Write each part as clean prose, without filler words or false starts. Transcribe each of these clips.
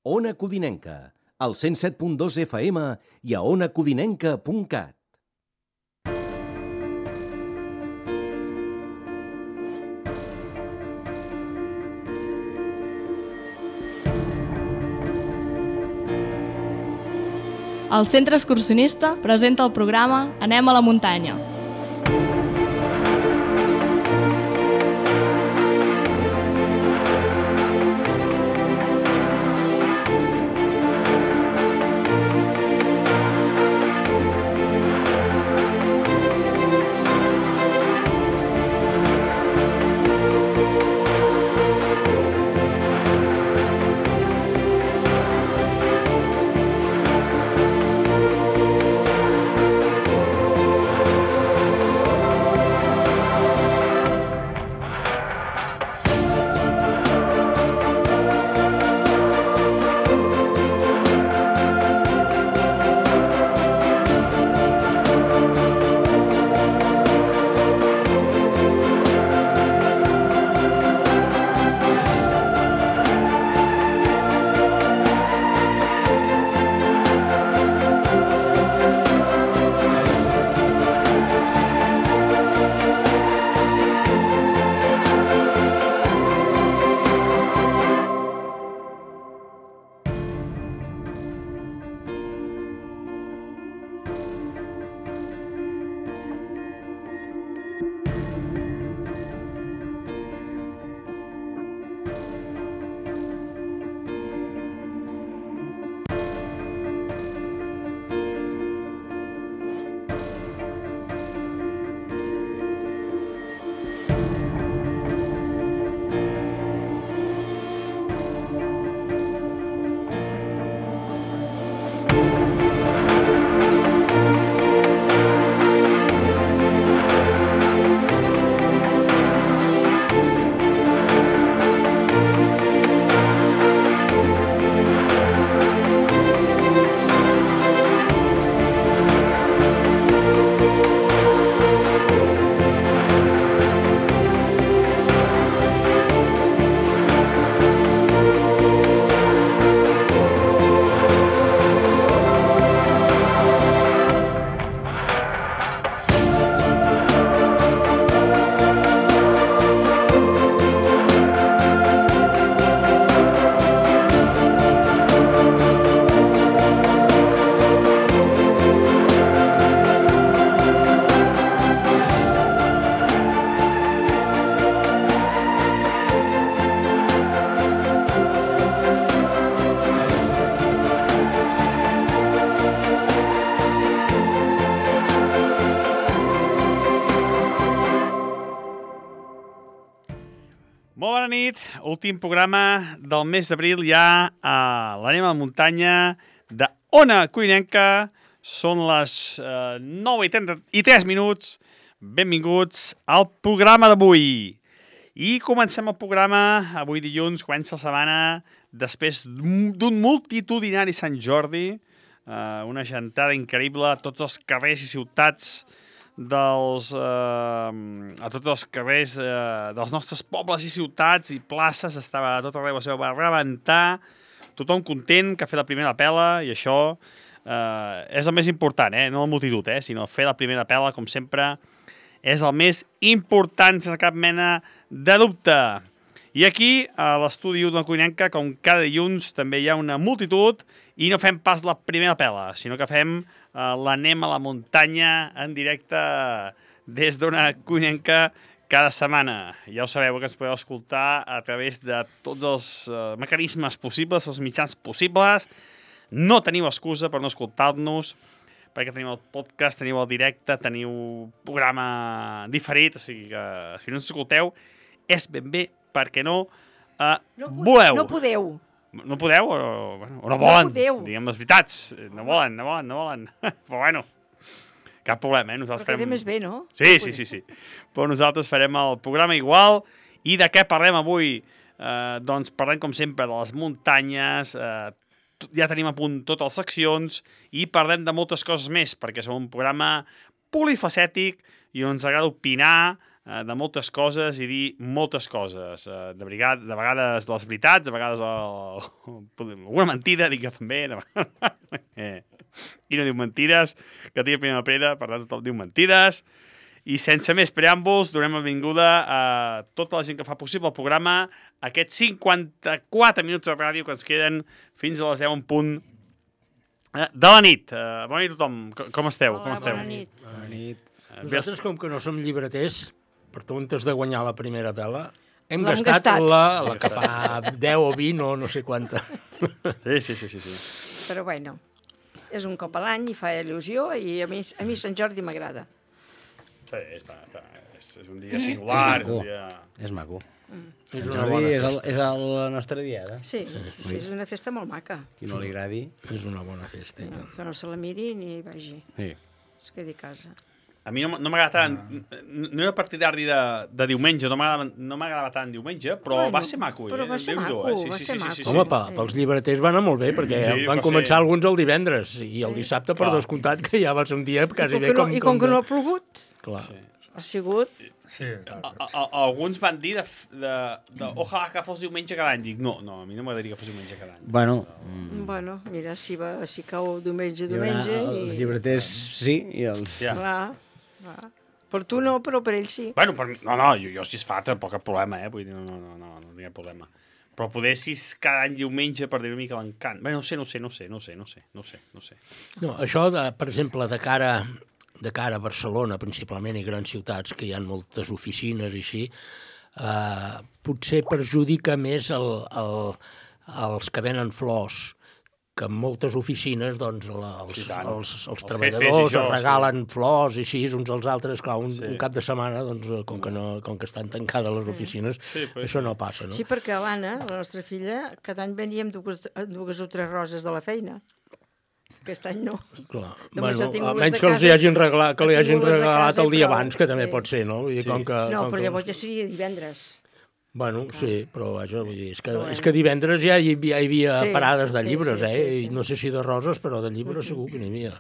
Ona Codinenca, al 107.2 FM i a onacodinenca.cat. El Centre Excursionista presenta el programa Anem a la muntanya. Molt bona nit, últim programa del mes d'abril ja a l'Anem a la muntanya de Ona Codinenca. Són les 9:33. Benvinguts al programa d'avui. I comencem el programa, avui dilluns, comença la setmana, després d'un multitudinari Sant Jordi, una gentada increïble a tots els carrers i ciutats a tots els carrers dels nostres pobles i ciutats i places, estava a tot arreu, es va rebentar, tothom content que ha fet la primera pela, i això és el més important, no la multitud, sinó fer la primera pela, com sempre, és el més important, sense cap mena de dubte. I aquí, a l'estudi d'Ona Codinenca, com cada dilluns, també hi ha una multitud, i no fem pas la primera pela, sinó que fem l'Anem a la muntanya en directe des d'Ona Codinenca cada setmana. Ja ho sabeu que ens podeu escoltar a través de tots els mecanismes possibles, els mitjans possibles. No teniu excusa per no escoltar-nos, perquè teniu el podcast, teniu el directe, teniu programa diferit, o sigui que si no ens escolteu és ben bé perquè no voleu. No podeu. No podeu o no volen? No podeu. Diguem les veritats. No volen. Però bueno, cap problema, Nosaltres però queda més bé, no? Sí. Però nosaltres farem el programa igual. I de què parlem avui? Doncs parlem, com sempre, de les muntanyes. Ja tenim a punt totes les seccions i parlem de moltes coses més, perquè som un programa polifacètic i ens agrada opinar de moltes coses i dir moltes coses. De vegades les veritats, de vegades alguna mentida, dic jo també. I no diu mentides, que tinc primera pedra, per tant tothom diu mentides. I sense més preàmbuls, donem la benvinguda a tota la gent que fa possible el programa, aquests 54 minuts de ràdio que ens queden fins a les 10 en punt de la nit. Bona nit a tothom. Com esteu? Hola, bona nit. Bona nit. Nosaltres, com que no som llibreters, per tontes de guanyar la primera pela, hem L'hem gastat gastat. la que fa 10 o 20 o no sé quanta. Sí. Però bueno, és un cop a l'any i fa il·lusió i a mi Sant Jordi m'agrada. Sí, és un dia singular. És maco. És Sant una bona Jordi festa. és la nostra diada. Sí, és una festa molt maca. Qui no li agradi. És una bona festa. I tant. Que no se la miri ni hi vagi. Sí. Es quedi a casa. A mi no m'agrada tant, no era partidari de diumenge, no m'agradava tant diumenge, però Bueno, va ser maco. però va ser Déu-n'hi-do, maco, va ser maco. Home, pels llibreters va anar molt bé, perquè Sí, van va començar ser- alguns el divendres i el dissabte, per Clar. descomptat, que ja va ser un dia quasi bé com... I com que no ha plogut, Clar. ha sigut... Sí, Alguns van dir ojalà que fos diumenge cada any. Dic, no, a mi no m'agradaria que fos diumenge cada any. Bueno, Bueno, mira, si cau diumenge, hi haurà els i... llibreters sí i els... Ja. Clar. Per tu no, però per ell sí. Bueno, per mi, no, jo si es fa, tampoc cap problema, vull dir, no tinc cap problema. Però poder si és cada any diumenge per dir una mica l'encant. Bé, no sé. No, això, per exemple, de cara a Barcelona, principalment, i grans ciutats, que hi ha moltes oficines i així, potser perjudica més els que venen flors, que en moltes oficines doncs, Sí, tant. els Els treballadors jefes i això, es regalen flors i així uns als altres. Clar, un cap de setmana, doncs, com que estan tancades les oficines, pues això no passa, no? Sí, perquè l'Anna, la nostra filla, cada any veníem dues o tres roses de la feina. Aquest any no. Clar. Només ha tingut les Almenys de que els casa- hi hagin regalat, ha tingut les de regalat casa el i dia prou. abans, que també Sí. pot ser, no? Vull dir, com que, No, com però que- llavors ja seria divendres. Bueno, sí, però vaja, vull dir, Però és que divendres ja hi havia Sí, parades de sí, llibres, sí, sí. I no sé si de roses, però de llibres segur que n'hi havia.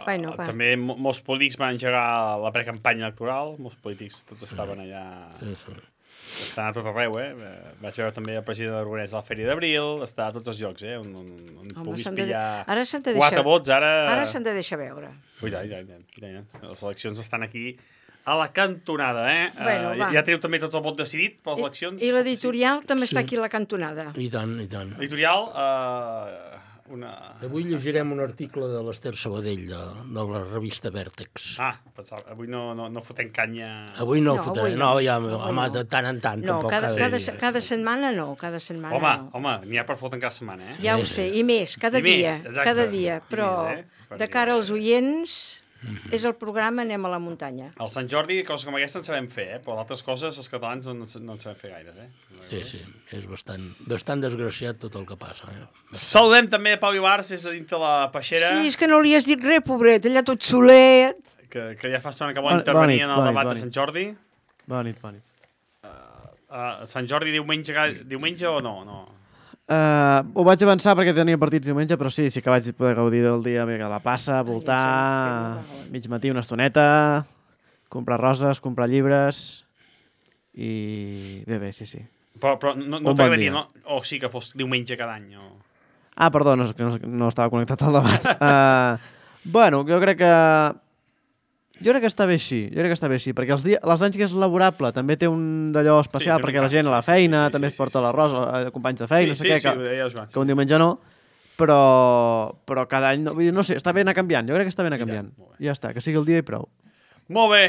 Bueno, va. També molts polítics van engegar la precampanya electoral, molts polítics tots estaven allà... Sí, sí. Estan a tot arreu, Vaig veure també el president Aragonès a la Fèria d'Abril, està a tots els llocs, on Home, puguis s'han de- pillar ara s'han de 4 deixar- vots, ara... Ara s'han de deixar veure. Ui, ja. Les eleccions estan aquí a la cantonada, Bueno, va. ja teniu també tot el vot decidit per les eleccions? I l'editorial també Sí. està aquí a la cantonada. I tant, i tant. Editorial, Avui llegirem un article de l'Ester Sabadell, de la revista Vèrtex. avui no fotem canya... Avui no, No, fotré, avui no. no, ja, Avui home, no. de tant en tant, No, tampoc cada setmana no, cada setmana no. Home, n'hi ha per foten cada setmana, Ja ho sé, i més, cada I més, dia, exacte. cada dia, I però més, per de dir, cara als oients és el programa Anem a la muntanya. Al Sant Jordi, coses com aquesta en sabem fer, però d'altres coses els catalans no en sabem fer gaires, Sí, és bastant desgraciat tot el que passa. Saludem també Pau Ibarz, des de dintre la peixera, Sí, és que no li has dit res, pobret, allà tot solet. que ja fa estona que vol intervenir en el debat de Sant Jordi. Bona nit. Sant Jordi diumenge o no? Ho vaig avançar perquè tenia partits diumenge, però sí que vaig poder gaudir del dia a la plaça, voltar, mig matí una estoneta, comprar roses, comprar llibres i... Bé, sí. Però no bon t'agradaria, dia. no? O sí que fos diumenge cada any, o... Ah, perdó, no estava connectat al debat. Bueno, jo crec que està bé així, perquè els anys que és laborable també té un d'allò especial, té un perquè la impacte, gent a la sí, feina sí, també sí, es porta sí, l'arròs, companys de feina, no sé què, que un diumenge no, però cada any, vull dir, no sé, està bé anar canviant, jo crec que està bé anar canviant. molt bé. Ja està, que sigui el dia i prou. Molt bé,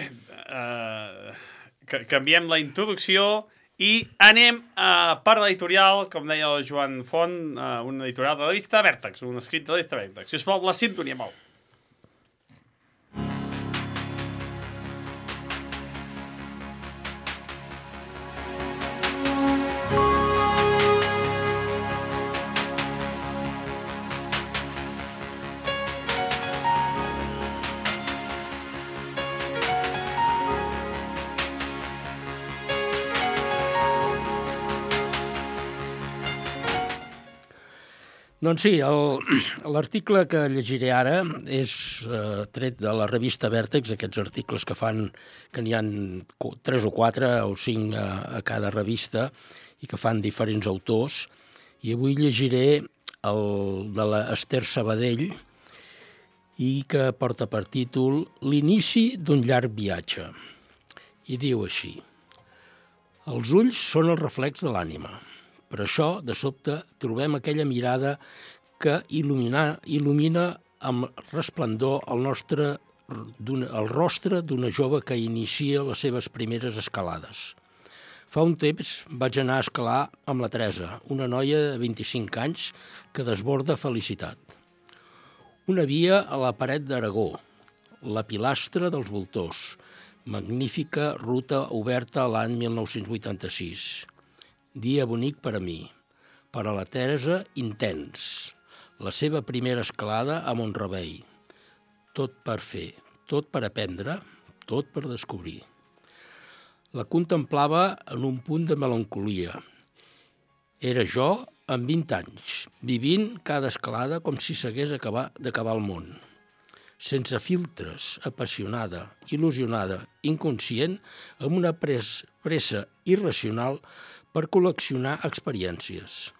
canviem la introducció i anem per l'editorial, com deia el Joan Font, un editorial de la revista Vèrtex, un escrit de la revista Vèrtex. Sisplau, la sintonia, Pau. Doncs sí, l'article que llegiré ara és tret de la revista Vèrtex, aquests articles que n'hi ha 3 o 4 o 5 a cada revista i que fan diferents autors, i avui llegiré el de l'Ester Sabadell i que porta per títol L'inici d'un llarg viatge. I diu així: els ulls són el reflex de l'ànima. Per això, de sobte, trobem aquella mirada que il·lumina amb resplendor el rostre d'una jove que inicia les seves primeres escalades. Fa un temps vaig anar a escalar amb la Teresa, una noia de 25 anys que desborda felicitat. Una via a la paret d'Aragó, la pilastra dels voltors, magnífica ruta oberta l'any 1986. Dia bonic per a mi, per a la Teresa intens, la seva primera escalada a Mont-rebei. Tot per fer, tot per aprendre, tot per descobrir. La contemplava en un punt de melancolia. Era jo amb 20 anys, vivint cada escalada com si s'hagués d'acabar el món. Sense filtres, apassionada, il·lusionada, inconscient, amb una pressa irracional per col·leccionar experiències.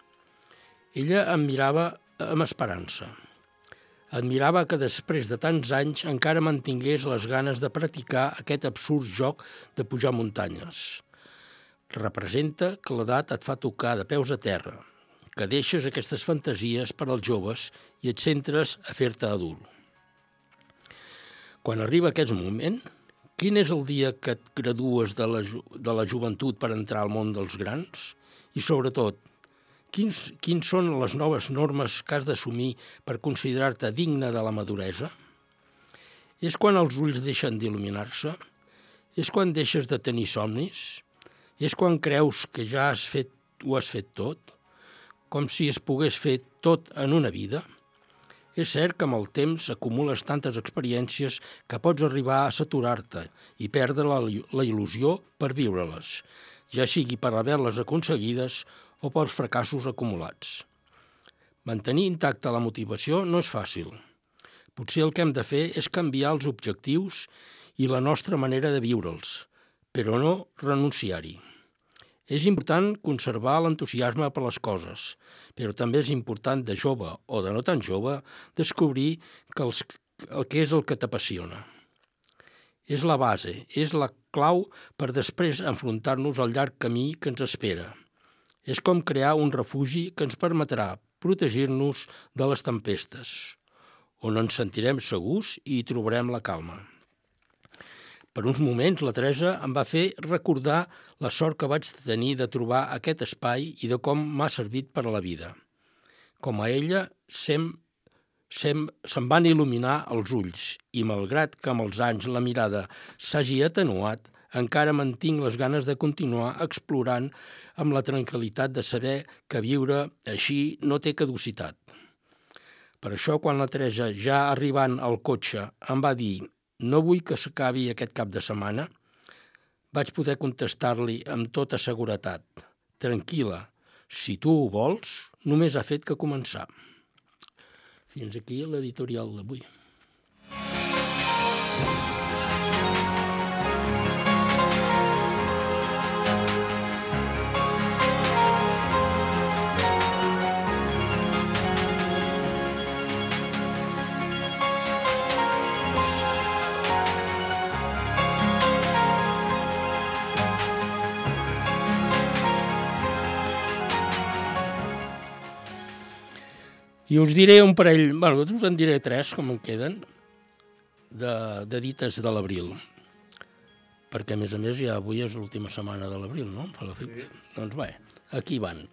Ella em mirava amb esperança. Admirava que després de tants anys encara mantingués les ganes de practicar aquest absurd joc de pujar muntanyes. Representa que l'edat et fa tocar de peus a terra, que deixes aquestes fantasies per als joves i et centres a fer-te adult. Quan arriba aquest moment, quin és el dia que et gradues de la joventut per entrar al món dels grans? I sobretot, quins són les noves normes que has d'assumir per considerar-te digne de la maduresa? És quan els ulls deixen d'il·luminar-se? És quan deixes de tenir somnis? És quan creus que ja ho has fet tot? Com si es pogués fer tot en una vida? És cert que amb el temps acumules tantes experiències que pots arribar a saturar-te i perdre la il·lusió per viure-les, ja sigui per haver-les aconseguides o pels fracassos acumulats. Mantenir intacta la motivació no és fàcil. Potser el que hem de fer és canviar els objectius i la nostra manera de viure'ls, però no renunciar-hi. És important conservar l'entusiasme per les coses, però també és important de jove o de no tan jove descobrir el que és el que t'apassiona. És la base, és la clau per després enfrontar-nos al llarg camí que ens espera. És com crear un refugi que ens permetrà protegir-nos de les tempestes, on ens sentirem segurs i hi trobarem la calma. Per uns moments, la Teresa em va fer recordar la sort que vaig tenir de trobar aquest espai i de com m'ha servit per a la vida. Com a ella, se'm van il·luminar els ulls i, malgrat que amb els anys la mirada s'hagi atenuat, encara mantinc les ganes de continuar explorant amb la tranquil·litat de saber que viure així no té caducitat. Per això, quan la Teresa, ja arribant al cotxe, em va dir «No vull que s'acabi aquest cap de setmana», vaig poder contestar-li amb tota seguretat «Tranquil·la, si tu ho vols, només ha fet que començar». Fins aquí l'editorial d'avui. I us diré un parell, us en diré 3, com en queden, de dites de l'abril. Perquè, a més, ja avui és l'última setmana de l'abril, no? Per l'efecte. Doncs bé, aquí van.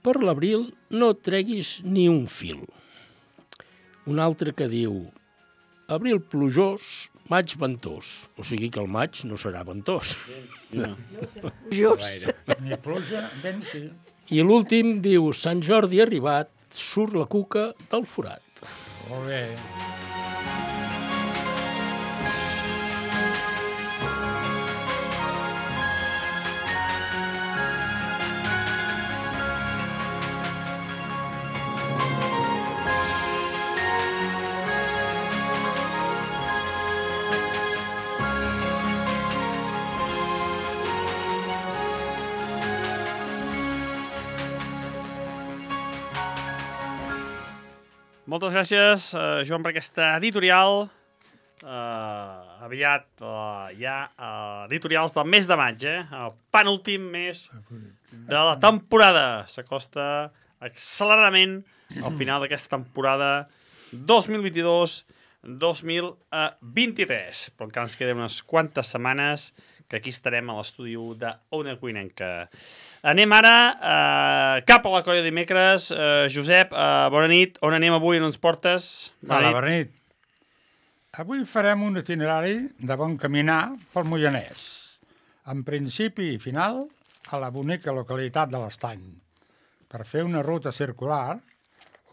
Per l'abril no treguis ni un fil. Un altre que diu, abril plujós, maig ventós. O sigui que el maig no serà ventós. No. Just. Ni pluja, vent, sí. I l'últim diu, Sant Jordi arribat, surt la cuca del forat. Molt bé. Moltes gràcies, Joan, per aquesta editorial. Aviat hi ha editorials del mes de maig, el penúltim mes de la temporada. S'acosta acceleradament al final d'aquesta temporada 2022-2023. Però encara ens queden unes quantes setmanes que aquí estarem a l'estudi d'Ona Cuinenca. Anem ara cap a la colla dimecres. Josep, bona nit. On anem avui? On ens portes? Bona nit. Avui farem un itinerari de bon caminar pel Moianès, en principi i final a la bonica localitat de l'Estany, per fer una ruta circular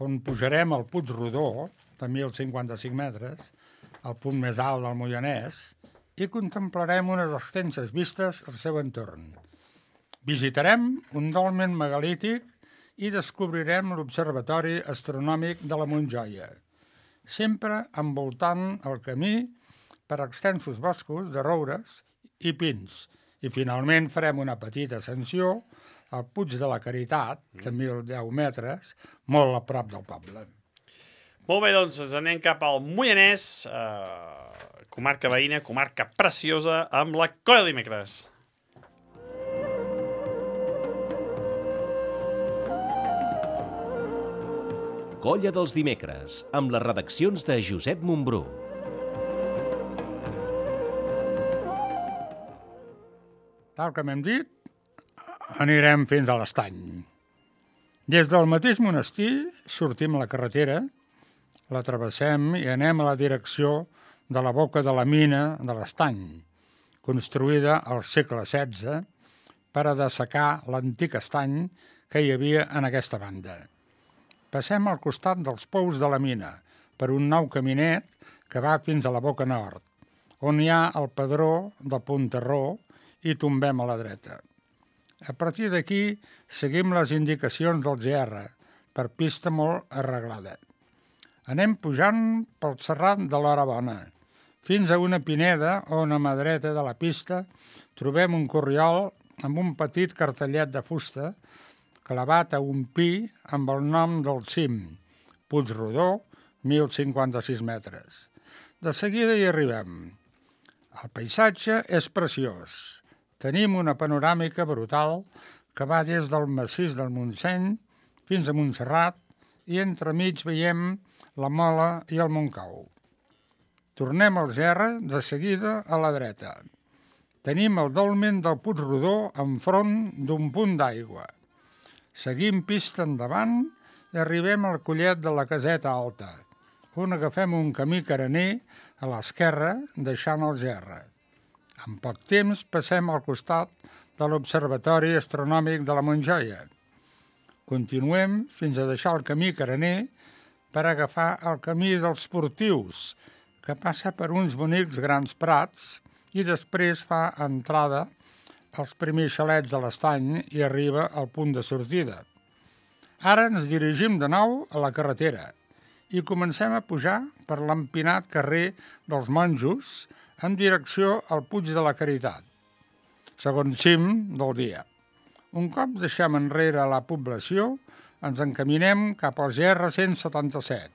on pujarem al Puig Rodó, de 1.055 metres, al punt més alt del Moianès, i contemplarem unes extenses vistes al seu entorn. Visitarem un dolmen megalític i descobrirem l'Observatori Astronòmic de la Montjoia, sempre envoltant el camí per extensos boscos de roures i pins. I finalment farem una petita ascensió al Puig de la Caritat, de 1.010 metres, molt a prop del poble. Molt bé, doncs ens anem cap al Moianès, comarca veïna, comarca preciosa, amb la colla dimecres. Colla dels dimecres, amb les redaccions de Josep Montbrú. Tal com hem dit, anirem fins a l'Estany. Des del mateix monestir sortim a la carretera, la travessem i anem a la direcció de la boca de la mina de l'Estany, construïda al segle XVI per a dessecar l'antic estany que hi havia en aquesta banda. Passem al costat dels pous de la mina, per un nou caminet que va fins a la boca nord, on hi ha el pedró de Ponterró i tombem a la dreta. A partir d'aquí seguim les indicacions del GR, per pista molt arreglada. Anem pujant pel serrat de l'Hora Bona, fins a una pineda on a mà dreta de la pista trobem un corriol amb un petit cartellet de fusta clavat a un pi amb el nom del cim, Puig Rodó, 1.056 metres. De seguida hi arribem. El paisatge és preciós. Tenim una panoràmica brutal que va des del massís del Montseny fins a Montserrat i entremig veiem la Mola i el Montcau. Tornem al GR de seguida a la dreta. Tenim el dolmen del Puig Rodó enfront d'un punt d'aigua. Seguim pista endavant i arribem al collet de la Caseta Alta, on agafem un camí carener a l'esquerra, deixant el GR. En poc temps passem al costat de l'Observatori Astronòmic de la Montjoia. Continuem fins a deixar el camí carener per agafar el camí dels Portius, que passa per uns bonics grans prats i després fa entrada als primers xalets de l'Estany i arriba al punt de sortida. Ara ens dirigim de nou a la carretera i comencem a pujar per l'empinat carrer dels Monjos en direcció al Puig de la Caritat, segon cim del dia. Un cop deixem enrere la població, ens encaminem cap al GR 177.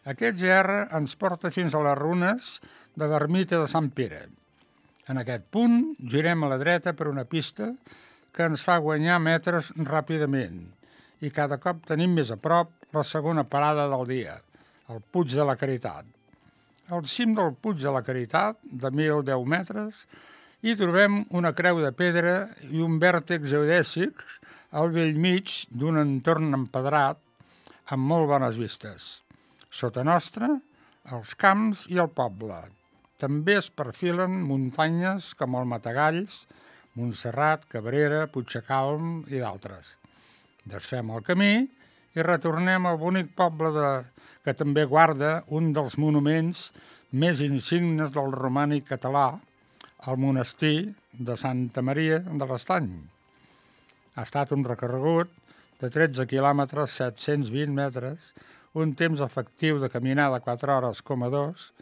Aquest GR ens porta fins a les runes de l'ermita de Sant Pere. En aquest punt girem a la dreta per una pista que ens fa guanyar metres ràpidament i cada cop tenim més a prop la segona parada del dia, el Puig de la Caritat. Al cim del Puig de la Caritat, de 1.010 metres, hi trobem una creu de pedra i un vèrtex geodèsic al bell mig d'un entorn empedrat amb molt bones vistes. Sota nostra, els camps i el poble. També es perfilen muntanyes com el Matagalls, Montserrat, Cabrera, Puigdecalm i d'altres. Desfem el camí i retornem al bonic poble que també guarda un dels monuments més insignes del romànic català, el monestir de Santa Maria de l'Estany. Ha estat un recorregut de 13 quilòmetres, 720 metres, un temps efectiu de caminada 4 hores, 2,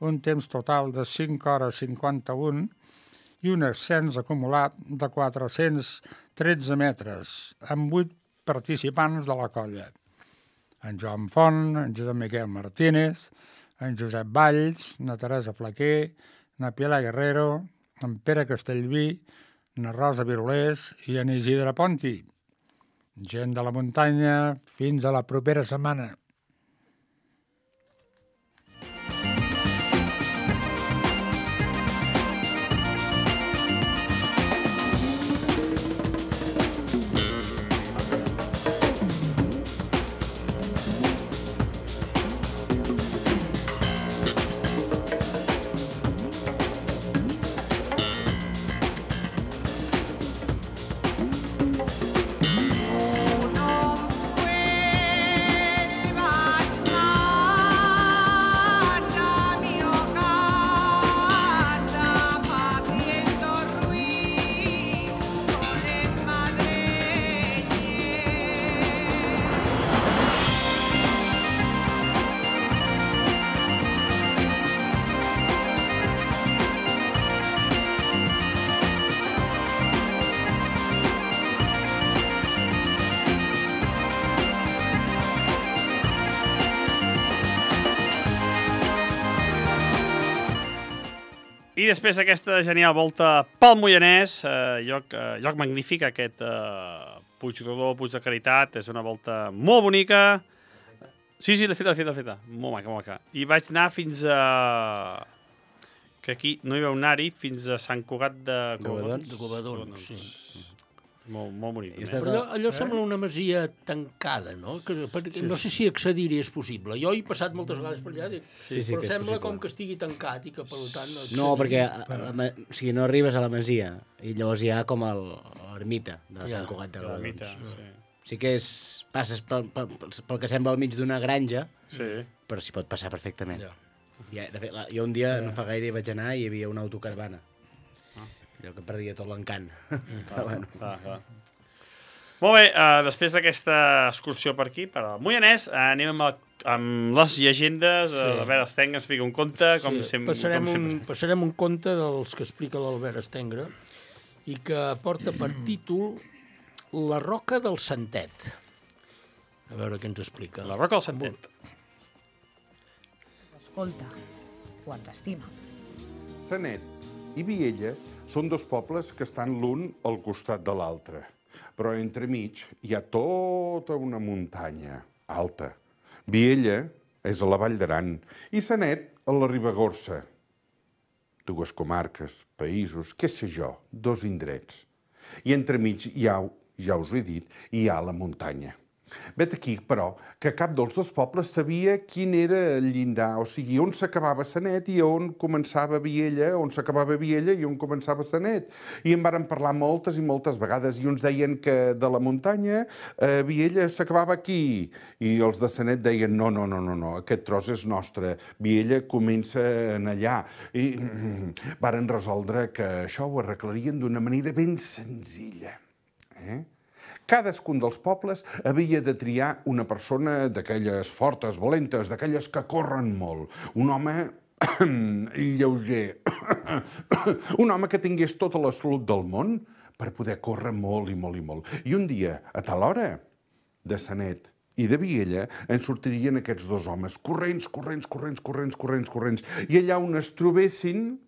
un temps total de 5 hores 51 i un ascens acumulat de 413 metres, amb 8 participants de la colla. en Joan Font, en Josep Miquel Martínez, en Josep Valls, na Teresa Flaquer, na Pilar Guerrero, en Pere Castellví, na Rosa Virolés i en Isidre Ponti. Gent de la muntanya, fins a la propera setmana. I després d'aquesta genial volta pel Moianès, lloc magnífic, aquest Puigrodó, Puig de Caritat, és una volta molt bonica. Sí, l'he feta. Molt maca. I vaig anar fins a... que aquí no hi vau anar-hi, fins a Sant Cugat de Covadons, sí. Molt bonic. Però allò sembla una masia tancada, no? No sé si accedir-hi és possible. Jo he passat moltes vegades per allà, però sembla com que estigui tancat i que, per tant... No, perquè no arribes a la masia i llavors hi ha com l'ermita de Sant Cugat de Covadons. Sí que passes pel que sembla al mig d'una granja, però s'hi pot passar perfectament. De fet, jo un dia, no fa gaire, hi vaig anar i hi havia una autocaravana. Allò que perdia tot l'encant. Molt bé, després d'aquesta excursió per aquí, per al Moianès, anem amb les llegendes. L'Albert Estenga explica un conte, com sempre. Passarem un conte dels que explica l'Albert Estenga i que porta per títol La roca del Santet. A veure què ens explica. La roca del Santet. Escolta, o ens estima. Sanet i Viella són dos pobles que estan l'un al costat de l'altre, però entremig hi ha tota una muntanya alta. Viella és a la Vall d'Aran i Sanet a la Ribagorça. Dues comarques, països, què sé jo, dos indrets. I entremig hi ha, ja us ho he dit, hi ha la muntanya. Vet aquí, però, que cap dels dos pobles sabia quin era el llindar, o sigui, on s'acabava Sanet i on començava Viella, on s'acabava Viella i on començava Sanet. I en varen parlar moltes i moltes vegades, i uns deien que de la muntanya Viella s'acabava aquí, i els de Sanet deien no, aquest tros és nostre, Viella comença en allà. I varen resoldre que això ho arreglarien d'una manera ben senzilla. Cadascun dels pobles havia de triar una persona d'aquelles fortes, valentes, d'aquelles que corren molt. Un home lleuger. Un home que tingués tota la salut del món per poder córrer molt i molt i molt. I un dia, a tal hora, de Sanet i de Viella, en sortirien aquests dos homes, corrents. I allà on es trobessin,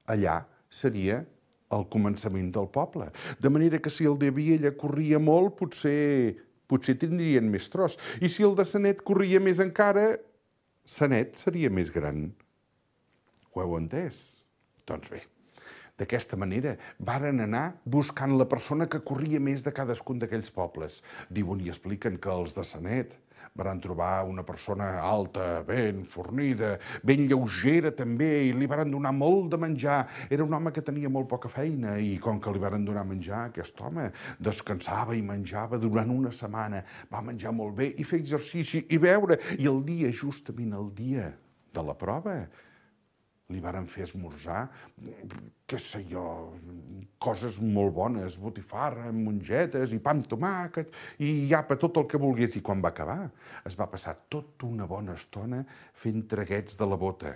allà seria al començament del poble. De manera que si el de Viella corria molt, potser tindrien més tros. I si el de Sanet corria més encara, Sanet seria més gran. Ho heu entès? Doncs bé, d'aquesta manera varen anar buscant la persona que corria més de cadascun d'aquells pobles. Diuen i expliquen que els de Sanet van trobar una persona alta, ben fornida, ben lleugera també, i li van donar molt de menjar. Era un home que tenia molt poca feina i com que li van donar menjar, aquest home descansava i menjava durant una setmana. Va menjar molt bé i fer exercici i beure. I el dia, justament el dia de la prova, li varen fer esmorzar, què sé jo, coses molt bones, botifarra, mongetes i pa amb tomàquet i apa, tot el que volgués. I quan va acabar, es va passar tota una bona estona fent traguets de la bota.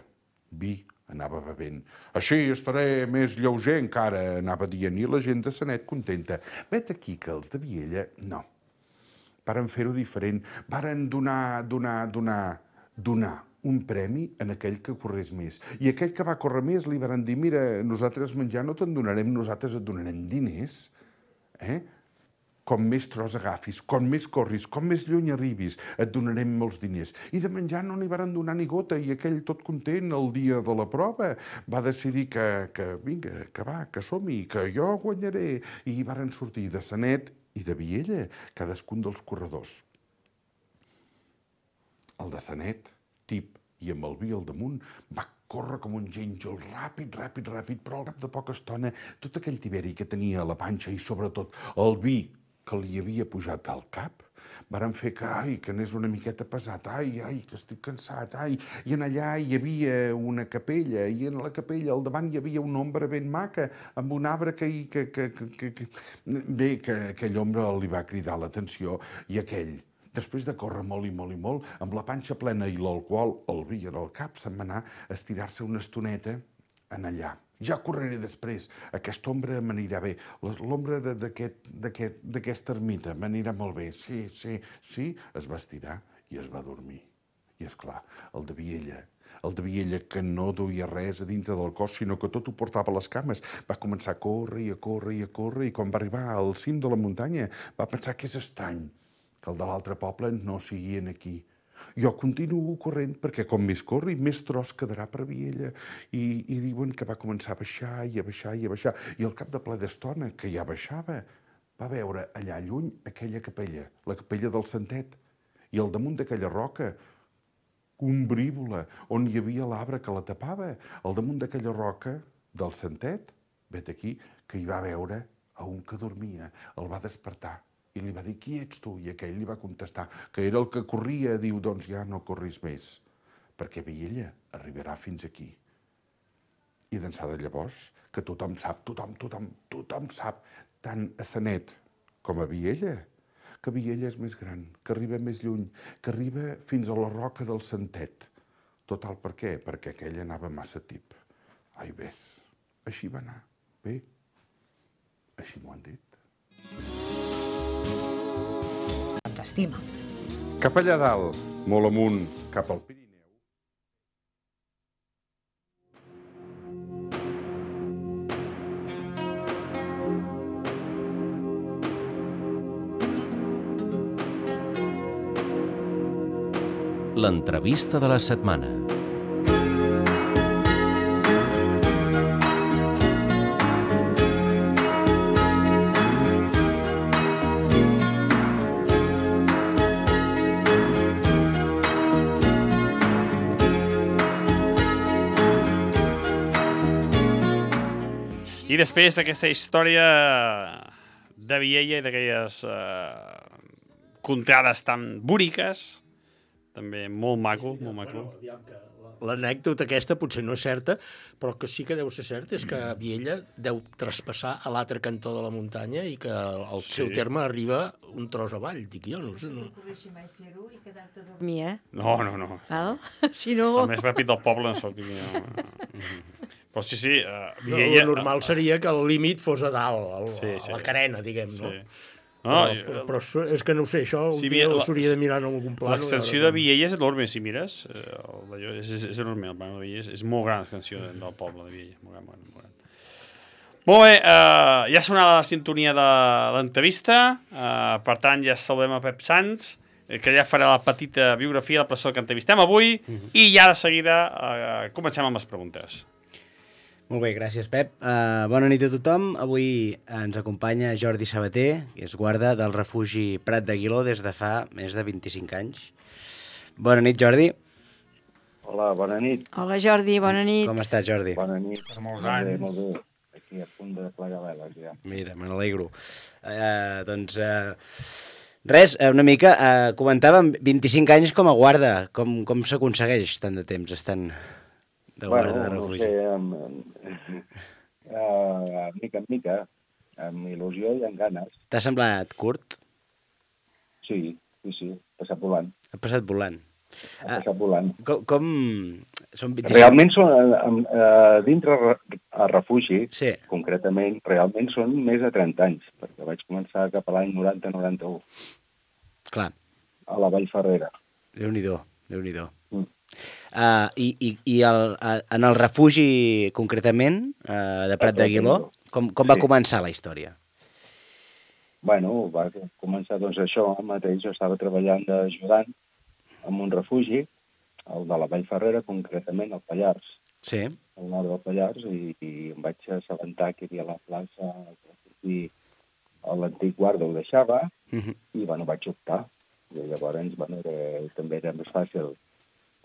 Vi anava bevent. Així estaré més lleuger encara, anava dient, i la gent de Sanet contenta. Vet aquí que els de Viella, no. varen fer-ho diferent. Varen donar un premi en aquell que corrés més. I aquell que va córrer més li varen dir, mira, nosaltres menjar no te'n donarem, nosaltres et donarem diners. Com més tros agafis, com més corris, com més lluny arribis, et donarem molts diners. I de menjar no n'hi varen donar ni gota, i aquell tot content el dia de la prova va decidir que vinga, que va, que som-hi, que jo guanyaré. I varen sortir de Sanet i de Viella, cadascun dels corredors. El de Sanet, tip, i amb el vi al damunt, va córrer com un gínjol, ràpid, però al cap de poca estona tot aquell tiberi que tenia a la panxa i sobretot el vi que li havia pujat al cap, varen fer que anés una miqueta pesat, que estic cansat, i en allà hi havia una capella, i en la capella al davant hi havia una ombra ben maca, amb un arbre que aquell ombra li va cridar l'atenció, i aquell, després de córrer molt i molt i molt, amb la panxa plena i l'alcohol, el vi en el cap, se'n va anar a estirar-se una estoneta en allà. Ja correré després, aquesta ombra m'anirà bé, l'ombra d'aquesta ermita m'anirà molt bé, sí, es va estirar i es va dormir. I esclar, el de Viella, que no duia res a dintre del cos, sinó que tot ho portava a les cames, va començar a córrer, i quan va arribar al cim de la muntanya va pensar que és estrany que el de l'altre poble no siguin aquí. Jo continuo corrent perquè com més corri, més tros quedarà per Viella. I diuen que va començar a baixar, i al cap de ple d'estona, que ja baixava, va veure allà lluny aquella capella, la capella del Santet, i al damunt d'aquella roca, ombrívola, on hi havia l'arbre que la tapava, al damunt d'aquella roca del Santet, vet aquí, que hi va veure a un que dormia, el va despertar. I li va dir, qui ets tu? I aquell li va contestar, que era el que corria. Diu, doncs ja no corris més, perquè Viella arribarà fins aquí. I d'ençà de llavors, que tothom sap, tant a Sanet com a Viella, que Viella és més gran, que arriba més lluny, que arriba fins a la roca del Santet. Total, per què? Perquè aquell anava massa tip. Ai, ves, així va anar. Bé, així m'ho han dit. Ens estima. Cap allà dalt, molt amunt, cap al Pirineu. L'entrevista de la setmana. I després d'aquesta història de Viella i d'aquelles contrades tan boniques, també molt maco, molt maco. L'anècdota aquesta potser no és certa, però que sí que deu ser certa és que Viella deu traspassar a l'altre cantó de la muntanya i que el seu terme arriba un tros avall, dic jo. No sé, no. Si poguéssim mai fer-ho i quedar-te a dormir, No. Si no... El més ràpid del poble no soc. Però sí, Viella... El normal seria que el límit fos a dalt, a la carena, diguem, no? Però és que no ho sé, això un dia s'hauria de mirar en algun pla. L'extensió de Viella és enorme, si mires. És enorme, el Pla de Viella. És molt gran l'extensió del poble de Viella. Molt gran. Molt bé, ja ha sonat la sintonia de l'entrevista. Per tant, ja saludem a Pep Sans, que ja farà la petita biografia de la persona que entrevistem avui. I ja de seguida comencem amb les preguntes. Molt bé, gràcies, Pep. Bona nit a tothom. Avui ens acompanya Jordi Sabater, que és guarda del refugi Prat d'Aguiló des de fa més de 25 anys. Bona nit, Jordi. Hola, bona nit. Hola, Jordi, bona nit. Com estàs, Jordi? Bona nit. Molts anys. Molt bé. Aquí a punt de plegar veles, ja. Mira, me n'alegro. Res, una mica, comentàvem 25 anys com a guarda. Com s'aconsegueix tant de temps estant... de guarda de refugi? Mica en mica, amb il·lusió i amb ganes. T'ha semblat curt? Sí, passat volant. Ha passat volant. Com... Realment són, dintre el refugi, concretament, realment són més de 30 anys, perquè vaig començar cap a l'any 90-91. Clar. a la Vall Ferrera. Déu-n'hi-do, Déu-n'hi-do. I en el refugi, concretament, de Prat d'Aguiló, com va començar la història? Bueno, va començar doncs això mateix. Jo estava treballant d'ajudant en un refugi, el de la Vall Ferrera, concretament al Pallars. Sí. Al nord del Pallars, i em vaig assabentar que hi havia la plaça i l'antic guarda ho deixava, i bueno, vaig optar. I llavors, bueno, també era més fàcil.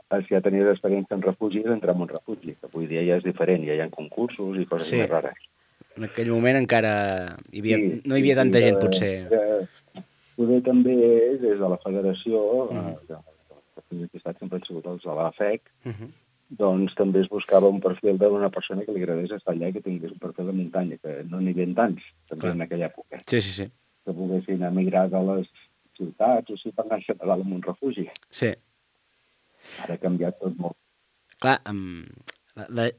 Si ja tenies experiència en refugis, entrar en un refugi, que avui dia ja és diferent, ja hi ha concursos i coses més rares. En aquell moment encara no hi havia tanta gent, potser. Poder també és des de la federació, que sempre han sigut els de la FEC, doncs també es buscava un perfil d'una persona que li agradés estar allà i que tingués un perfil de muntanya, que no n'hi havia tants, també en aquella època. Sí. Que poguessin emigrar de les ciutats o sí per anar a dalt en un refugi. Sí. Ara ha canviat tot molt. Clar,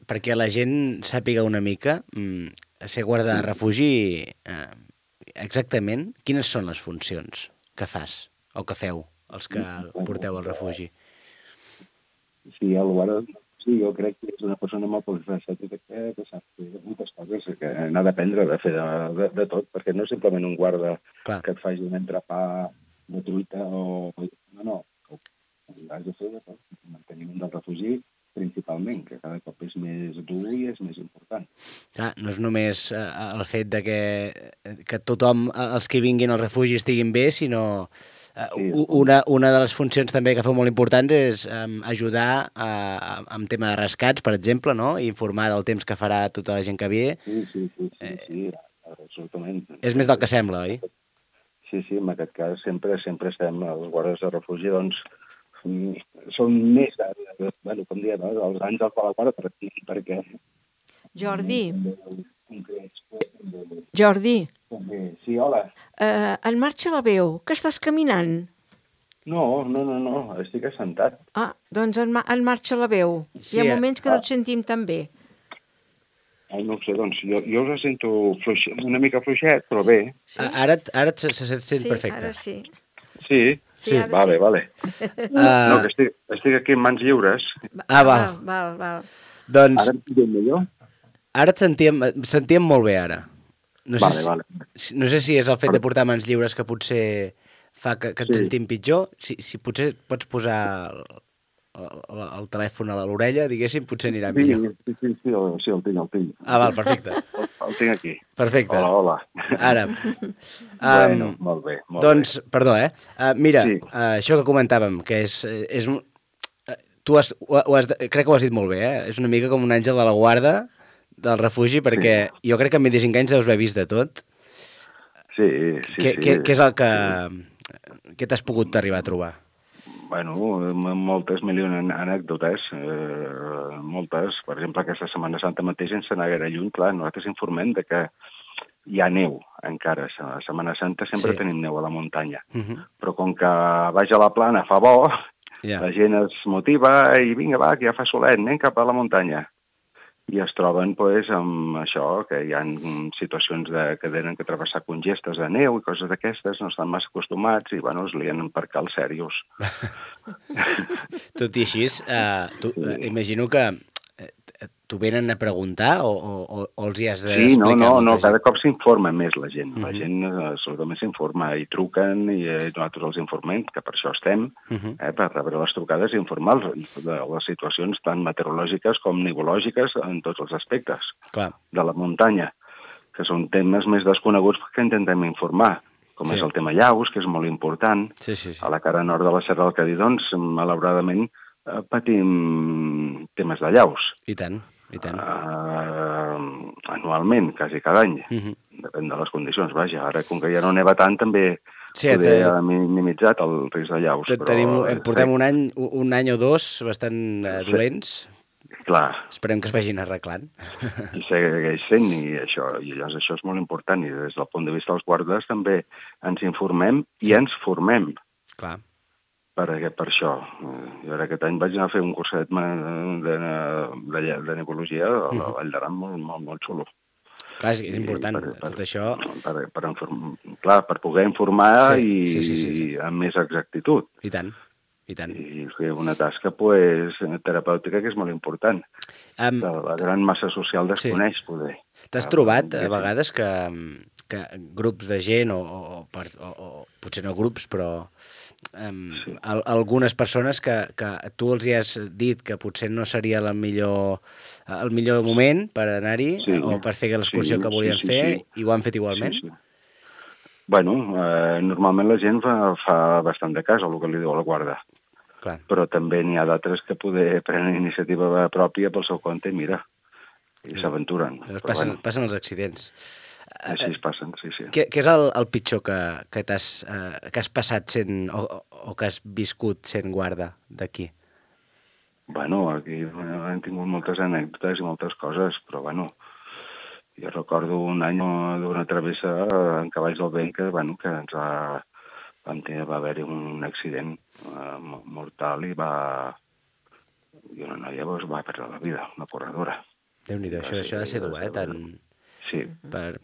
perquè la gent sàpiga una mica, ser guarda de refugi, exactament, quines són les funcions que fas o que feu, els que porteu al refugi? Sí, jo crec que és una persona molt polifacètica que sap fer moltes coses, que n'ha d'aprendre de fer de tot, perquè no és simplement un guarda que et faci un entrepà de truita o... No. Has de fer el manteniment del refugi principalment, que cada cop és més dur i és més important. Clar, no és només el fet de que tothom, els que vinguin al refugi estiguin bé, sinó una de les funcions també que feu molt importants és ajudar amb tema de rescats, per exemple, no? I informar del temps que farà tota la gent que ve. Sí, absolutament. És més del que sembla, oi? Sí, en aquest cas sempre estem, els guardes de refugi, doncs, són més, com diem, els àngels de la guarda, perquè... Jordi. Sí, hola. En marxa la veu, que estàs caminant? No, estic assentat. Doncs en marxa la veu. Hi ha moments que no et sentim tan bé. No ho sé, doncs jo us sento una mica fluixet, però bé. Ara se sent perfecte. Ara sí. Sí, vale. No, que estic aquí en mans lliures. Val. Doncs... Ara em sentim millor? Ara et sentíem molt bé, ara. Vale. No sé si és el fet de portar mans lliures que potser fa que et sentim pitjor. Si potser pots posar el telèfon a l'orella, diguéssim, potser anirà millor. Sí, el tinc. Val, perfecte. El tinc aquí. Perfecte. Hola. Ara. Bueno, molt bé. Doncs, perdó, mira, això que comentàvem, que és tu crec que ho has dit molt bé, és una mica com un àngel de la guarda del refugi, perquè jo crec que amb 25 anys deus haver vist de tot. Sí. Què és el que... Què t'has pogut arribar a trobar? Bueno, moltes milions anècdotes, moltes. Per exemple, aquesta Setmana Santa mateix, sense anar gaire lluny, clar, nosaltres informem de que hi ha neu encara. A la Setmana Santa sempre tenim neu a la muntanya. Però com que baix a la plana fa bo, la gent es motiva i vinga, va, que ja fa solet, anem cap a la muntanya. I es troben amb això, que hi ha situacions que tenen que travessar congestes de neu i coses d'aquestes, no estan massa acostumats i, es lien per cal serios. Tot i així, imagino que t'ho venen a preguntar o els hi has d'explicar? Sí, no, cada cop s'informa més la gent. La gent absolutament s'informa i truquen i nosaltres els informem, que per això estem, per rebre les trucades i informar-los de les situacions tant meteorològiques com nivològiques en tots els aspectes de la muntanya, que són temes més desconeguts que intentem informar, com és el tema llaus, que és molt important. A la cara nord de la Serra del Cadí, doncs, malauradament, patim temes de llaus. I tant. Anualment, quasi cada any. Depèn de les condicions, vaja. Ara, com que ja no neva tant, també poder ha minimitzat el risc de llaus. Portem un any o dos bastant dolents. Clar. Esperem que es vagin arreglant. I segueix sent, i llavors això és molt important. I des del punt de vista dels guardes també ens informem i ens formem. Clar. Per això. Jo ara aquest any vaig anar a fer un curset de nebologia a la Vall d'Aran molt xulo. Clar, és important, tot això... Per poder informar i amb més exactitud. I tant. I fer una tasca terapèutica que és molt important. La gran massa social desconeix, poder. T'has trobat a vegades que grups de gent, o potser no grups, però algunes persones que tu els hi has dit que potser no seria el millor moment per anar-hi o per fer l'excursió que volien fer i ho han fet igualment? Bueno, normalment la gent fa bastant de cas al que li diu la guarda. Clar. Però també n'hi ha d'altres que poder prendre iniciativa pròpia pel seu compte i mira, i s'aventuren. Passen els accidents. Així es passen, sí. Què és el pitjor que has passat sent, o que has viscut sent guarda d'aquí? Bueno, aquí hem tingut moltes anècdotes i moltes coses, però bueno, jo recordo un any d'una travessa en cavalls del vent que ens va haver-hi un accident mortal i una noia va perdre la vida, una corredora. Déu-n'hi-do, això ha de ser dur, Sí. Per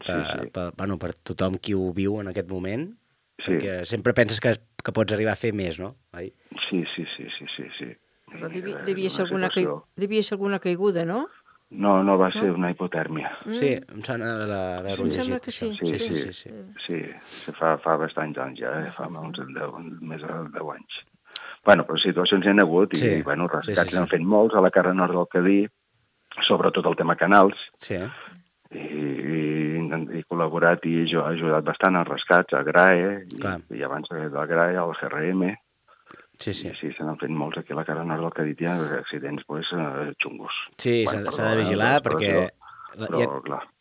tothom qui ho viu en aquest moment, perquè sempre penses que pots arribar a fer més, no? Sí. Però devia ser alguna caiguda, no? No, va ser una hipotèrmia. Sí, em sembla d'haver-ho llegit. Em sembla que sí. Sí, fa bastants anys ja, fa més de 10 anys. Bueno, però situacions hi ha hagut i rescats n'han fet molts a la cara nord del Cadí, sobretot el tema canals. Sí. I he col·laborat i he ajudat bastant als rescats, a GRAE, i abans de la GRAE, al GRM. Sí. I sí, se n'han fet molts aquí a la cara nord del Cadí, hi ha accidents xungos. Sí, s'ha de vigilar perquè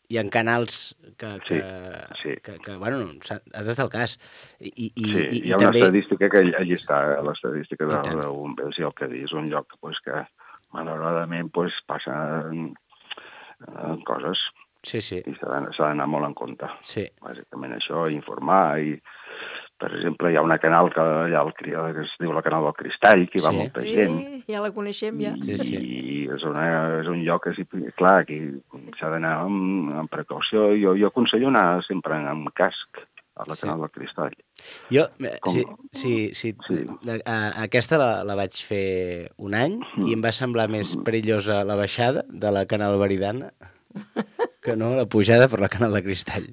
hi ha canals que bueno, has d'estar al cas. Hi ha una estadística que allí està, l'estadística de bombers i el Cadí és un lloc que malauradament passen coses. Sí. I s'ha d'anar molt en compte. Sí. Bàsicament això, informar. I, per exemple, hi ha una canal que es diu la Canal del Cristall, que hi va molta gent. Ja la coneixem, ja. I és un lloc que, clar, que s'ha d'anar amb precaució. Jo aconsello anar sempre amb casc a la Canal del Cristall. Jo, aquesta la vaig fer un any i em va semblar més perillosa la baixada de la Canal Veridana que no la pujada per la Canal de Cristall.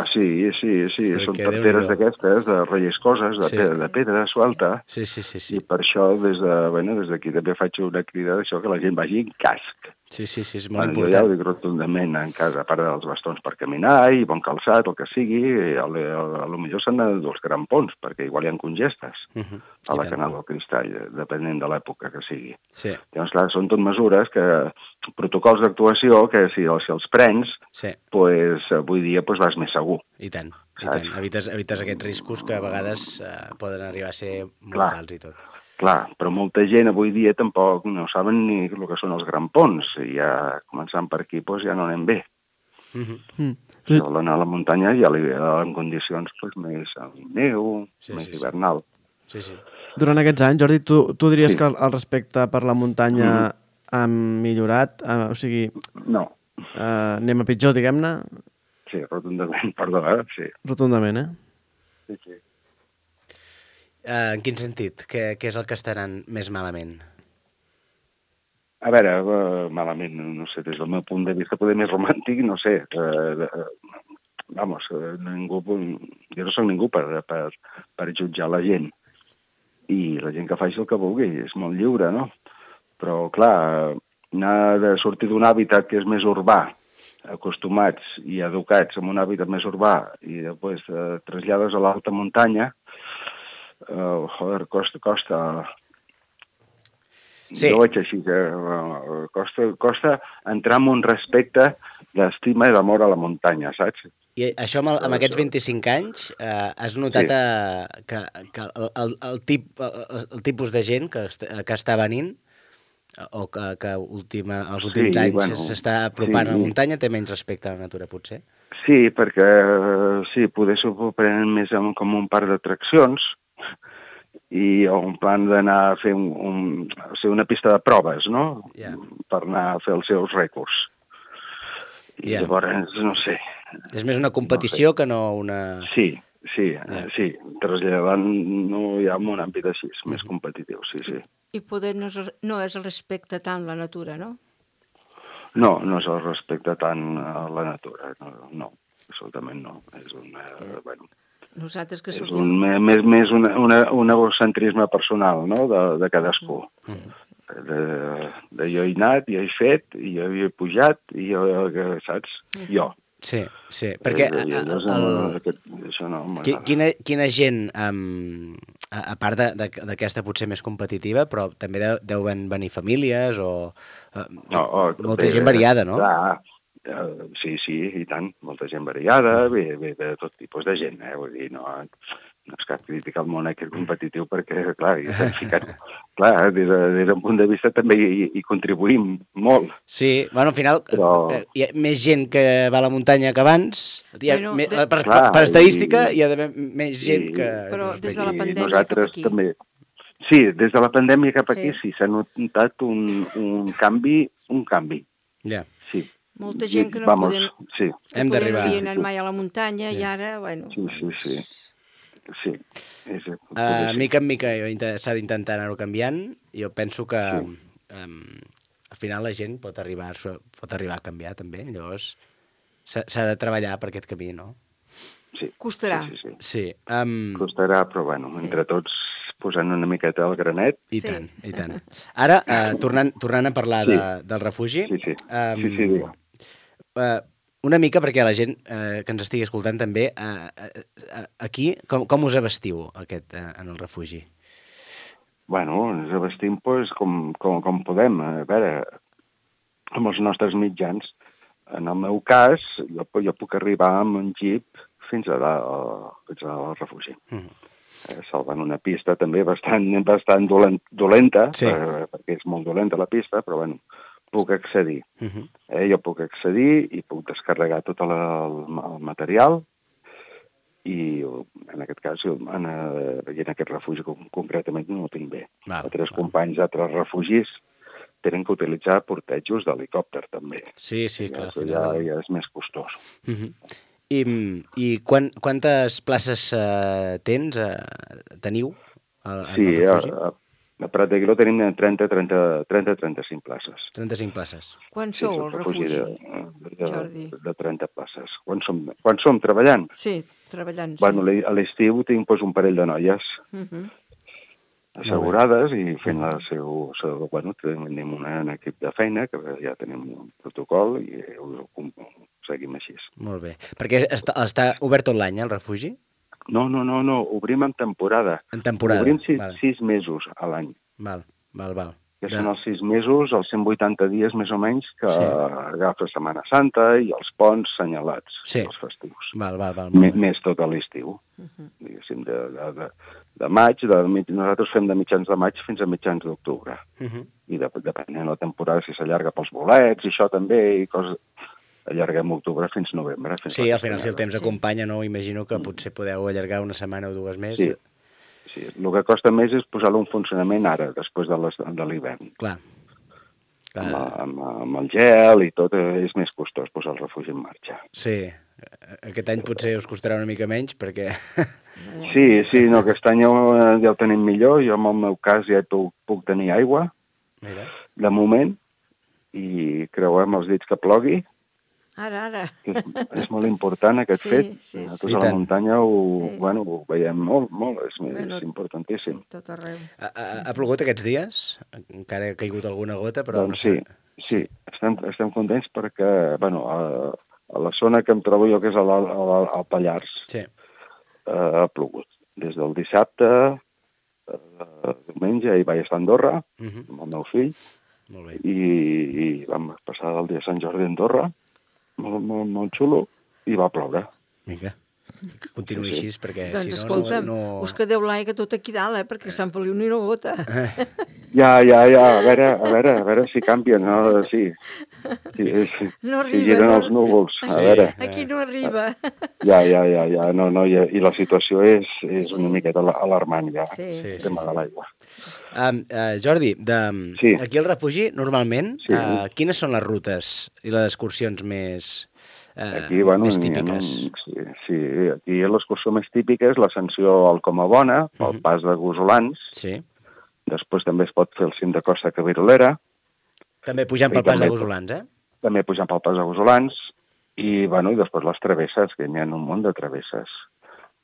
Sí, són tarteres d'aquestes, de relliscoses, de pedra suelta. Sí. I per això, des d'aquí també faig una crida d'això, que la gent vagi en casc. Sí, és molt important. Jo ja ho dic rotundament en casa, a part dels bastons per caminar i bon calçat, el que sigui, a lo millor s'han de dur els grampons, perquè igual hi ha congestes a la Canal del Cristall, depenent de l'època que sigui. Llavors, clar, són tot mesures protocols d'actuació que si els prens, avui dia vas més segur. I tant. Evites aquests riscos que a vegades poden arribar a ser molt alts i tot. Clar, però molta gent avui dia tampoc no saben ni el que són els grampons. I ja començant per aquí ja no anem bé. Si volen anar a la muntanya ja en condicions més neu, més hivernal. Durant aquests anys, Jordi, tu diries que el respecte per la muntanya ha millorat? O sigui... No. Anem a pitjor, diguem-ne? Sí, rotundament, perdó, sí. Rotundament, Sí. En quin sentit? Què és el que està anant més malament? A veure, malament, no sé, des del meu punt de vista poder més romàntic, no sé. Jo no soc ningú per jutjar la gent. I la gent que faci el que vulgui, és molt lliure, no? Però, clar, anar de sortir d'un hàbitat que és més urbà, acostumats i educats en un hàbitat més urbà, i després trasllades a l'alta muntanya, costa. Sí. Jo ho veig així, costa entrar en un respecte d'estima i d'amor a la muntanya, saps? I això amb aquests 25 anys has notat que el tipus de gent que està venint o que els últims anys s'està apropant a la muntanya té menys respecte a la natura, potser? Sí, perquè poder s'ho prenen més com un parc d'atraccions i un plan d'anar a fer una pista de proves, no? Per anar a fer els seus rècords. I llavors, no sé. És més una competició que no una... Sí, traslladant no hi ha un àmbit així, més competitiu, sí. I poder no es respecta tant la natura, no? No, no es respecta tant a la natura, no, absolutament no. És Nosaltres que sortim... més un egocentrisme personal, no?, de cadascú. Jo he anat, jo he fet, jo he pujat, i jo, saps? Jo. Sí, perquè quina gent, a part d'aquesta potser més competitiva, però també deuen venir famílies o molta gent variada, no? Sí, i tant, molta gent variada, ve de tot tipus de gent, vull dir, no és cap crítica al món aquest competitiu, perquè, clar, des d'un punt de vista també hi contribuïm molt. Sí, bueno, al final hi ha més gent que va a la muntanya que abans, per estadística hi ha d'haver més gent que... Però des de la pandèmia cap aquí... Sí, des de la pandèmia cap aquí sí, s'ha notat un canvi. Ja. Sí. Molta gent que no havien anat mai a la muntanya i ara, bueno... Sí. Mica en mica s'ha d'intentar anar-ho canviant. Jo penso que al final la gent pot arribar a canviar també. Llavors s'ha de treballar per aquest camí, no? Sí. Costarà. Sí. Costarà, però bueno, entre tots posant una miqueta el granet. I tant. Ara, tornant a parlar del refugi... Sí. Una mica perquè la gent que ens estigui escoltant també, aquí, com us abestiu en el refugi? Bueno, ens abestim com podem. A veure, amb els nostres mitjans. En el meu cas, jo puc arribar amb un jeep fins al refugi. Salvant una pista també bastant dolenta, perquè és molt dolenta la pista, però bueno, puc accedir. Jo puc accedir i puc descarregar tot el material i en aquest cas en aquest refugi concretament no ho tinc bé. Altres companys d'altres refugis tenen que utilitzar portejos d'helicòpter també. Sí, clar. Ja és més costós. I quantes places teniu al refugi? A Prat de Guiló tenim 30-35 places. 35 places. Quan sou al refugi, Jordi? De 30 places. Quan som treballant? Sí, treballant. Bueno, a l'estiu tinc un parell de noies assegurades i fent la seu... Bueno, tenim un equip de feina, que ja tenim un protocol i ho seguim així. Molt bé. Perquè està obert tot l'any, el refugi? No, obrim en temporada. En temporada, obrim 6 mesos a l'any. Val. Que són els 6 mesos, els 180 dies més o menys, que agafa Setmana Santa i els ponts senyalats, els festius. Val. Més tot a l'estiu. Diguéssim, de maig, nosaltres fem de mitjans de maig fins a mitjans d'octubre. I depenent de la temporada, si s'allarga pels bolets i això també, i coses... Allarguem octubre fins novembre. Sí, al final, si el temps acompanya, no? Imagino que potser podeu allargar una setmana o dues més. Sí. El que costa més és posar-lo en funcionament ara, després de l'hivern. Clar. Amb el gel i tot, és més costós posar el refugi en marxa. Sí. Aquest any potser us costarà una mica menys, perquè... Sí, no, aquest any ja el tenim millor. Jo, en el meu cas, ja puc tenir aigua, de moment, i creuem els dits que plogui. Ara. És molt important aquest fet. Nosaltres a la muntanya ho veiem molt, és importantíssim. Tot arreu. Ha plogut aquests dies? Encara ha caigut alguna gota, però... Doncs sí, estem contents perquè, a la zona que em trobo jo, que és al Pallars, ha plogut. Des del dissabte, diumenge, hi vaig estar a Andorra, amb el meu fill, i vam passar el dia de Sant Jordi a Andorra, molt xulo, i va ploure. Vinga, que continuï així, perquè si no... Doncs escolta'm, us quedeu l'aigua tot aquí dalt, perquè Sant Feliu ni una gota. Ja, a veure si canvien, no? Sí. No arriba. Si giren els núvols, a veure. Aquí no arriba. Ja, no, i la situació és una miqueta alarmant, ja, el tema de l'aigua. Jordi, aquí al refugi, normalment, quines són les rutes i les excursions més típiques? Sí, aquí l'excursió més típica és l'ascensió al Comabona, pel pas de Gosolans. Sí. Després també es pot fer el cim de Costa Cabirolera. També pujant pel pas de Gosolans, També pujant pel pas de Gosolans. I després les travesses, que n'hi ha un munt de travesses.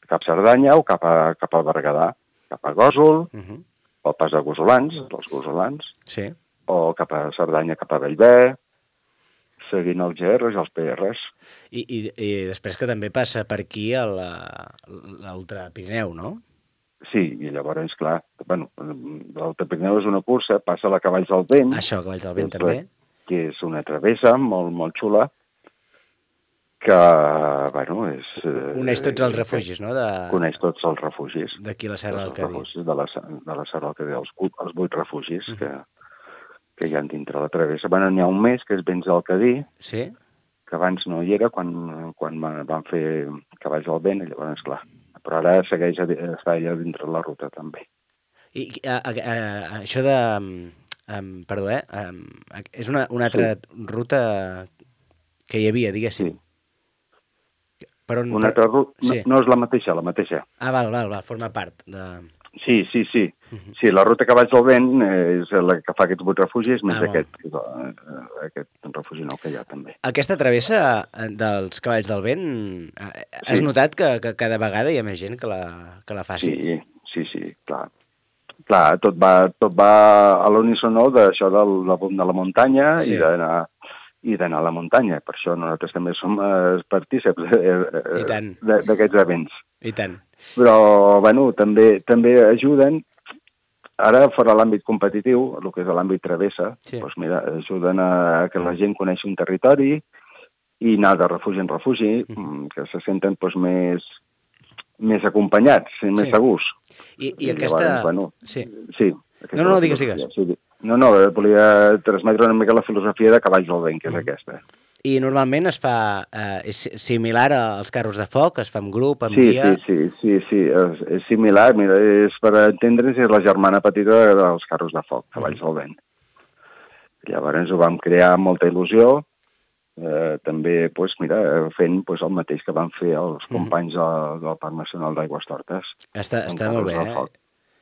Cap a Cerdanya o cap al Berguedà. Cap a Gósol, pel pas de Gosolans, dels Gosolans. Sí. O cap a Cerdanya, cap a Bellver, seguint els GRs i els PRs. I després que també passa per aquí l'Ultra Pirineu, no? Sí, i llavors, clar, l'Alta Pirineu és una cursa, passa a la Cavalls del Vent. Això, Cavalls del Vent, també. Que és una travessa molt, molt xula, que, és... Coneix tots els refugis, no? Coneix tots els refugis. D'aquí la Serra del Cadí. De la Serra del Cadí, els 8 refugis que hi ha dintre la travessa. N'hi ha un mes, que és Vents del Cadí, que abans no hi era, quan van fer Cavalls del Vent, i llavors, clar, però ara segueix està allà dintre la ruta, també. I això de... Perdó, és una altra ruta que hi havia, diguéssim. Una altra ruta... No és la mateixa. Ah, val, forma part de... Sí. Sí, la ruta Cavalls del Vent és la que fa aquests 8 refugis, més aquest refugi nou que hi ha, també. Aquesta travessa dels Cavalls del Vent, has notat que cada vegada hi ha més gent que la faci? Sí, clar. Clar, tot va a l'unísono d'això del boom de la muntanya i d'anar a la muntanya. Per això nosaltres també som partíceps d'aquests events. I tant. Però, també ajuden, ara fora l'àmbit competitiu, el que és l'àmbit travessa, ajuden a que la gent coneixi un territori i anar de refugi en refugi, que se senten més acompanyats, més segurs. I aquesta... Sí. No, digues. No, volia transmetre una mica la filosofia de Cavalls del Vent, que és aquesta. I normalment es fa similar als carros de foc, es fa en grup, en dia... Sí, és similar, mira, per entendre's, és la germana petita dels carros de foc, Cavalls del Vent. Llavors ho vam crear amb molta il·lusió, també fent el mateix que van fer els companys del Parc Nacional d'Aigües Tortes. Està molt bé,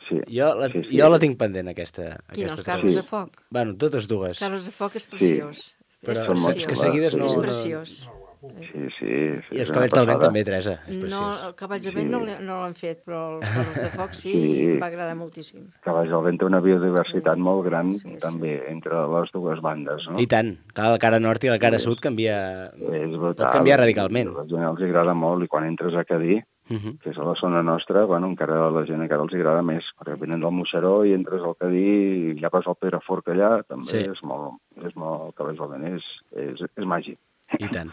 Sí. Jo la tinc pendent, aquesta. Quina, els carros de foc? Bueno, totes dues. Carros de foc és preciós. Però és que seguides no... És preciós. Sí. I els Cavalls del Vent també, Teresa, és preciós. No, el Cavalls del Vent no l'han fet, però els carros de foc sí, va agradar moltíssim. Cavalls del Vent té una biodiversitat molt gran, també, entre les dues bandes, no? I tant. Clar, la cara nord i la cara sud pot canviar radicalment. A la gent els agrada molt, i quan entres a Cadí, que és a la zona nostra, encara la gent encara els agrada més, perquè venen del Moixeró i entres al Cadí i ja vas al Perafort allà, també és molt Cavalls del Vent, és màgic. I tant.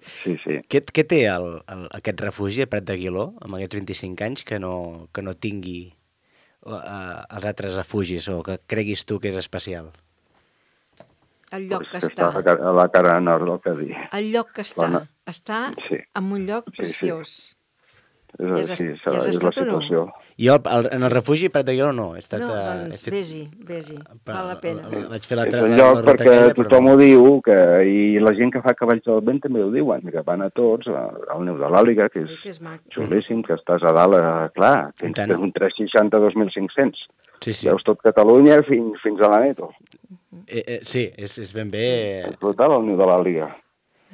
Sí. Què té aquest refugi a Prat d'Aguiló, amb aquests 25 anys, que no tingui els altres refugis, o que creguis tu que és especial? El lloc que està. A la cara nord del Cadí. El lloc que està. Està en un lloc preciós. És la situació. Jo, en el refugi Prat d'Aguiló no. Doncs vés-hi, val la pena. Vaig fer la és un lloc perquè tothom ho diu, i la gent que fa Cavalls del Vent també ho diuen, que van a tots, al Neu de l'Àliga, que és xulíssim, que estàs a dalt, clar, tens un 360 2.500. Veus tot Catalunya fins a la Neto. Sí, és ben bé... És brutal, el Neu de l'Àliga.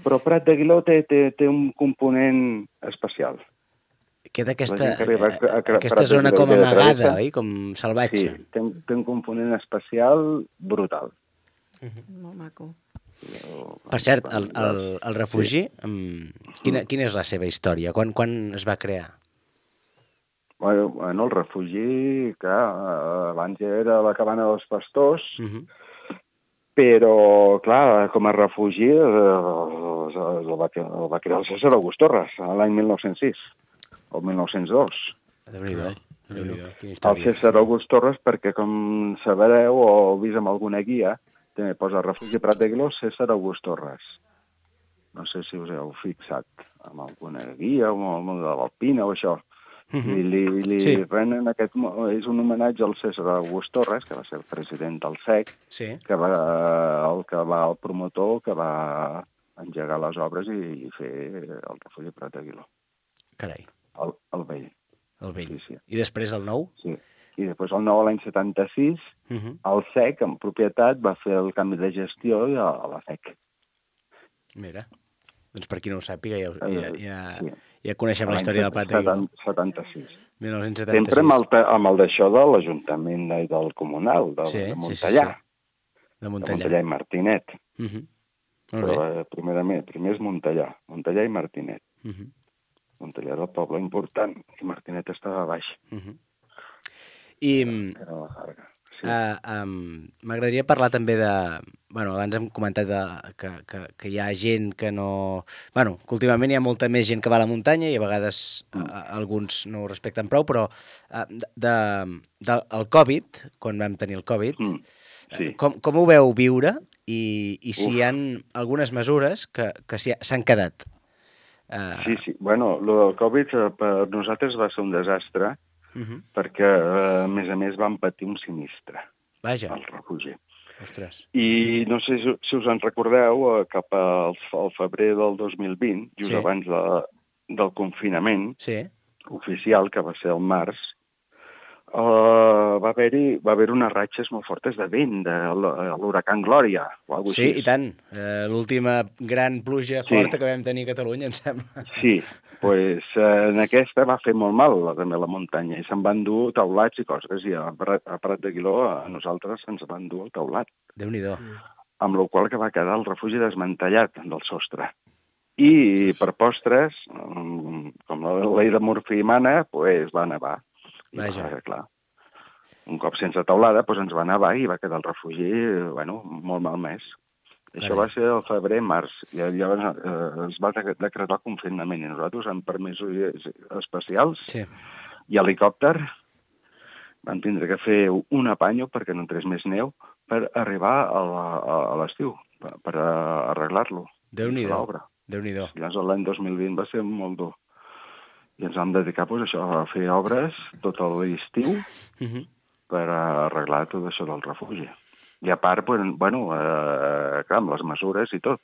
Però Prat d'Aguiló té un component especial. Queda aquesta zona com amagada, oi? Com salvatge. Sí, té un component especial brutal. Molt maco. Per cert, el refugi, quina és la seva història? Quan es va crear? Bueno, el refugi, clar, abans era la cabana dels pastors, però, clar, com a refugi el va crear el César August Torres l'any 1906. O 1902. Déu-n'hi-do. El César August Torres, perquè com sabreu o heu vist amb alguna guia, també posa Refugi Prat d'Aguiló, César August Torres. No sé si us heu fixat amb alguna guia o amb el món de l'Alpina o això. I li renen és un homenatge al César August Torres, que va ser el president del SEC, que va el promotor que va engegar les obres i fer el Refugi Prat d'Aguiló. Carai. El vell. El vell. I després el nou? Sí. I després el nou, l'any 76, el SEC, en propietat, va fer el canvi de gestió a la SEC. Mira. Doncs per qui no ho sàpiga, ja coneixem la història del Prat d'Aguiló. 76. 1976. Sempre amb el d'això de l'Ajuntament i del Comunal, de Montellà. De Montellà i Martinet. Però primer és Montellà i Martinet. Montellà era el poble important i Martinet estava baix. I m'agradaria parlar també de... Bueno, abans hem comentat que hi ha gent que no... Bueno, que últimament hi ha molta més gent que va a la muntanya i a vegades alguns no ho respecten prou, però del Covid, quan vam tenir el Covid, com ho veu viure i si hi ha algunes mesures que s'han quedat? Sí. Bueno, el del Covid per nosaltres va ser un desastre perquè, a més, vam patir un sinistre al refugi. Ostres. I no sé si us en recordeu, cap al febrer del 2020, just abans del confinament oficial, que va ser el març, va haver unes ratxes molt fortes de vent, de l'huracan Glòria, o alguna cosa així. Sí, i tant. L'última gran pluja forta que vam tenir a Catalunya, em sembla. Sí, doncs en aquesta va fer molt mal també la muntanya, i se'n van dur taulats i coses, i a Prat d'Aguiló a nosaltres se'ns van dur el taulat. Déu-n'hi-do. Amb la qual que va quedar el refugi desmantellat del sostre. I per postres, com la llei de Murphy mana, doncs va nevar. Vaja. Clar, un cop sense taulada ens va nevar i va quedar el refugi molt malmès. Això va ser el febrer-març, i llavors es va decretar el confinament, i nosaltres, amb permisos especials i helicòpter, vam tindre que fer un apanyo perquè no entrés més neu per arribar a l'estiu, per arreglar-lo. Déu-n'hi-do. Llavors l'any 2020 va ser molt dur. I ens vam dedicar a fer obres tot l'estiu per arreglar tot això del refugi. I a part, clar, amb les mesures i tot.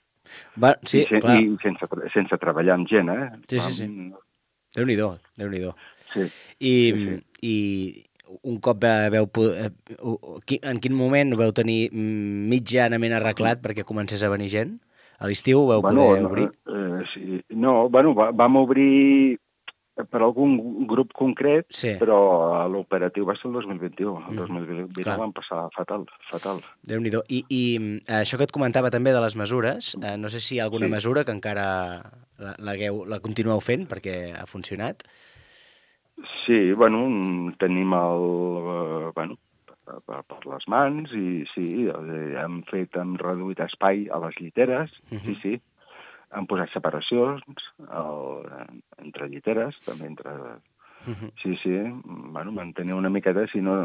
Sí, clar. I sense treballar amb gent, Sí. Déu-n'hi-do. Sí. I un cop en quin moment ho veu tenir mitjanament arreglat perquè comencés a venir gent? A l'estiu ho veu poder obrir? Sí. No, vam obrir per algun grup concret, però l'operatiu va ser el 2021. El 2021 van passar fatal. Déu-n'hi-do. I això que et comentava també de les mesures, no sé si hi ha alguna mesura que encara la continueu fent perquè ha funcionat? Sí, tenim per les mans i sí, hem reduït espai a les lliteres, sí. Han posat separacions entre lliteres, també entre... Sí, mantenir una miqueta, si no...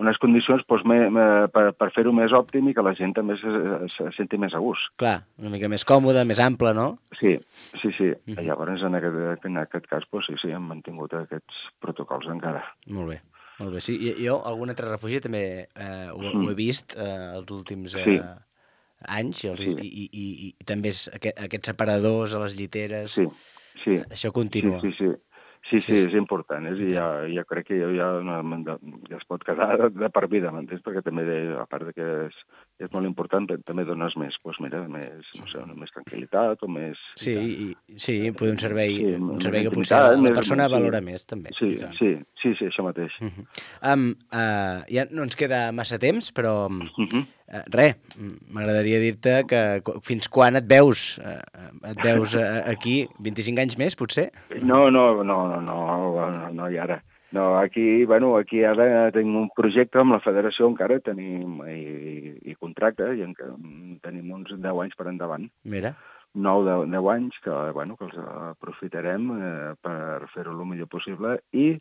Unes condicions per fer-ho més òptim i que la gent també se senti més a gust. Clar, una mica més còmode, més ample, no? Sí. Llavors, en aquest cas, sí, hem mantingut aquests protocols encara. Molt bé. Sí, jo, algun altre refugi també ho he vist els últims... anys i també aquests separadors a les lliteres, això continua. Sí, és important, i ja crec que ja es pot quedar de per vida, m'entens? Perquè també, a part que és molt important, també dones més, més tranquil·litat o més... Sí, poder un servei que potser la persona valora més, també. Sí, això mateix. Ja no ens queda massa temps, però m'agradaria dir-te que fins quan et veus aquí? 25 anys més, potser? No, i ara. No, aquí ara tenim un projecte amb la federació, encara tenim i contracte, i tenim uns 10 anys per endavant. Mira. 9-10 anys que els aprofitarem per fer-ho el millor possible i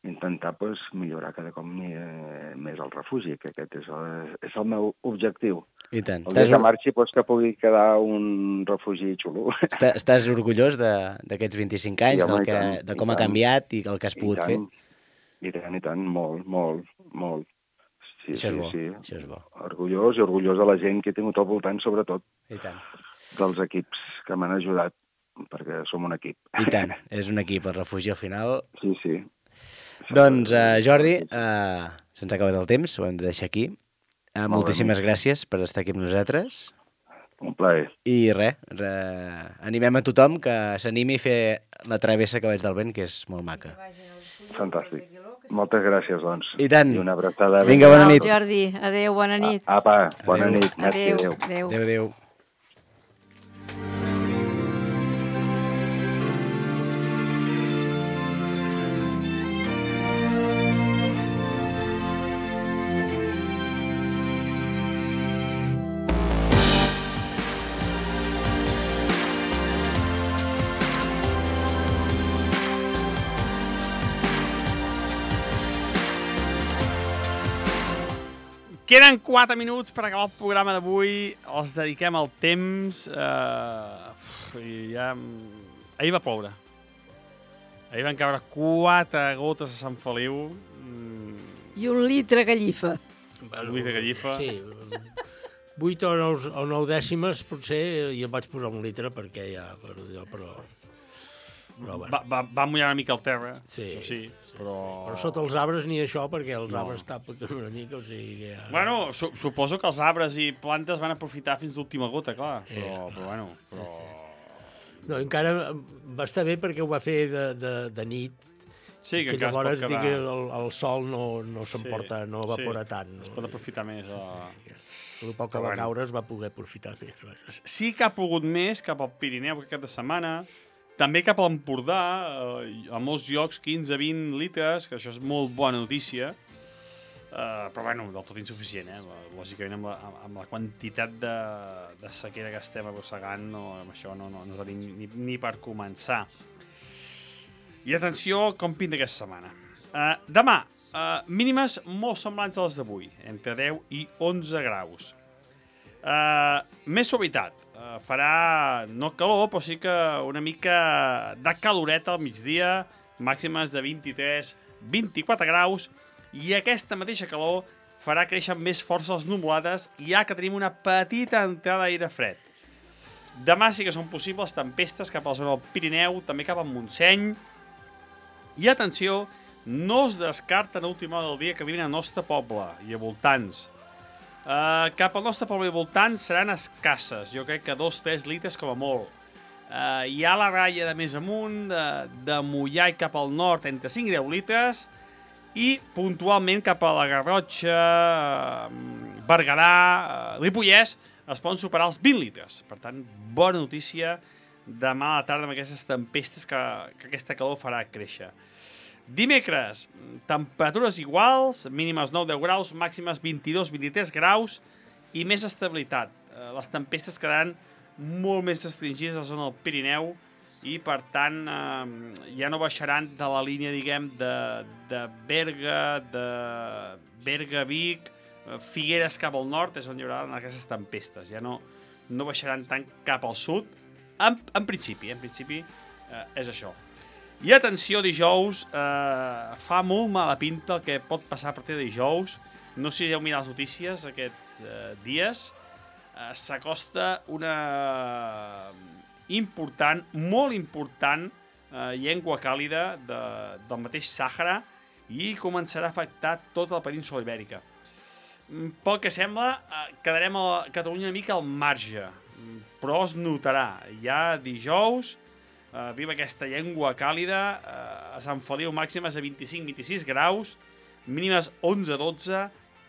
intentar millorar cada cop més el refugi, que aquest és el meu objectiu. I tant. El dia que marxi, que pugui quedar un refugi xulo. Estàs orgullós d'aquests 25 anys, de com ha canviat i el que has pogut fer? I tant, molt. Sí, això és bo. Orgullós i orgullós de la gent que he tingut al voltant, sobretot. I tant. Dels equips que m'han ajudat, perquè som un equip. I tant, és un equip, el refugi al final. Sí. Doncs, Jordi, se'ns ha acabat el temps, ho hem de deixar aquí. Moltíssimes gràcies per estar aquí amb nosaltres. Un plaer. I animem a tothom que s'animi a fer la travessa Cavalls del Vent, que és molt maca. Fantàstic. Moltes gràcies, doncs. I tant. I una abraçada. Vinga, bona nit. Jordi, adéu, bona nit. Apa, bona nit. Adéu. Adéu. Queden 4 minuts per acabar el programa d'avui. Els dediquem al temps. Ahir va ploure. Ahir van caure 4 gotes a Sant Feliu. I 1 litre gallifa. Un litre gallifa. Sí. 8 o 9 dècimes, potser, i em vaig posar 1 litre perquè ja... Però bueno. Va mullar una mica el terra. Sí. Però sota els arbres ni això, perquè els arbres tapen una mica, o sigui que... Bueno, suposo que els arbres i plantes van aprofitar fins l'última gota, clar. Però bueno... No, encara va estar bé perquè ho va fer de nit. Sí, que llavors el sol no s'emporta, no evapora tant. Es pot aprofitar més. El poc que va caure es va poder aprofitar més. Sí que ha plogut més cap al Pirineu aquest de setmana. També cap a l'Empordà, a molts llocs 15-20 litres, que això és molt bona notícia, però bueno, del tot insuficient, lògicament amb la quantitat de sequera que estem arrossegant, amb això no tenim ni per començar. I atenció com pinta aquesta setmana. Demà, mínimes molt semblants a les d'avui, entre 10 i 11 graus. Més suavitat. Farà no calor, però sí que una mica de caloreta al migdia, màximes de 23-24 graus, i aquesta mateixa calor farà créixer més força les nuvolades, ja que tenim una petita entrada d'aire fred. Demà sí que són possibles tempestes cap a la zona del Pirineu, també cap al Montseny, i atenció, no es descarta en l'última hora del dia que arribin al nostre poble i a voltants. Cap al nostre poble i voltant seran escasses, jo crec que 2-3 litres com a molt. Hi ha la ratlla de més amunt, de Moià i cap al nord entre 5 i 10 litres, i puntualment cap a la Garrotxa, Berguedà, Ripollès, es poden superar els 20 litres. Per tant, bona notícia demà a la tarda amb aquestes tempestes que aquesta calor farà créixer. Dimecres, temperatures iguals, mínimes 9-10 graus, màximes 22-23 graus i més estabilitat. Les tempestes quedaran molt més restringides a la zona del Pirineu i, per tant, ja no baixaran de la línia, diguem, de Berga-Vic, Figueres cap al nord, és on hi haurà aquestes tempestes. Ja no baixaran tant cap al sud. En principi és això. I atenció, dijous, fa molt mala pinta el que pot passar a partir de dijous. No sé si heu mirat les notícies aquests dies. S'acosta una important, molt important, llengua càlida del mateix Sàhara i començarà a afectar tota la península ibèrica. Pel que sembla, quedarem a Catalunya una mica al marge, però es notarà. Ja dijous arriba aquesta llengua càlida, a Sant Feliu màximes de 25-26 graus, mínimes 11-12,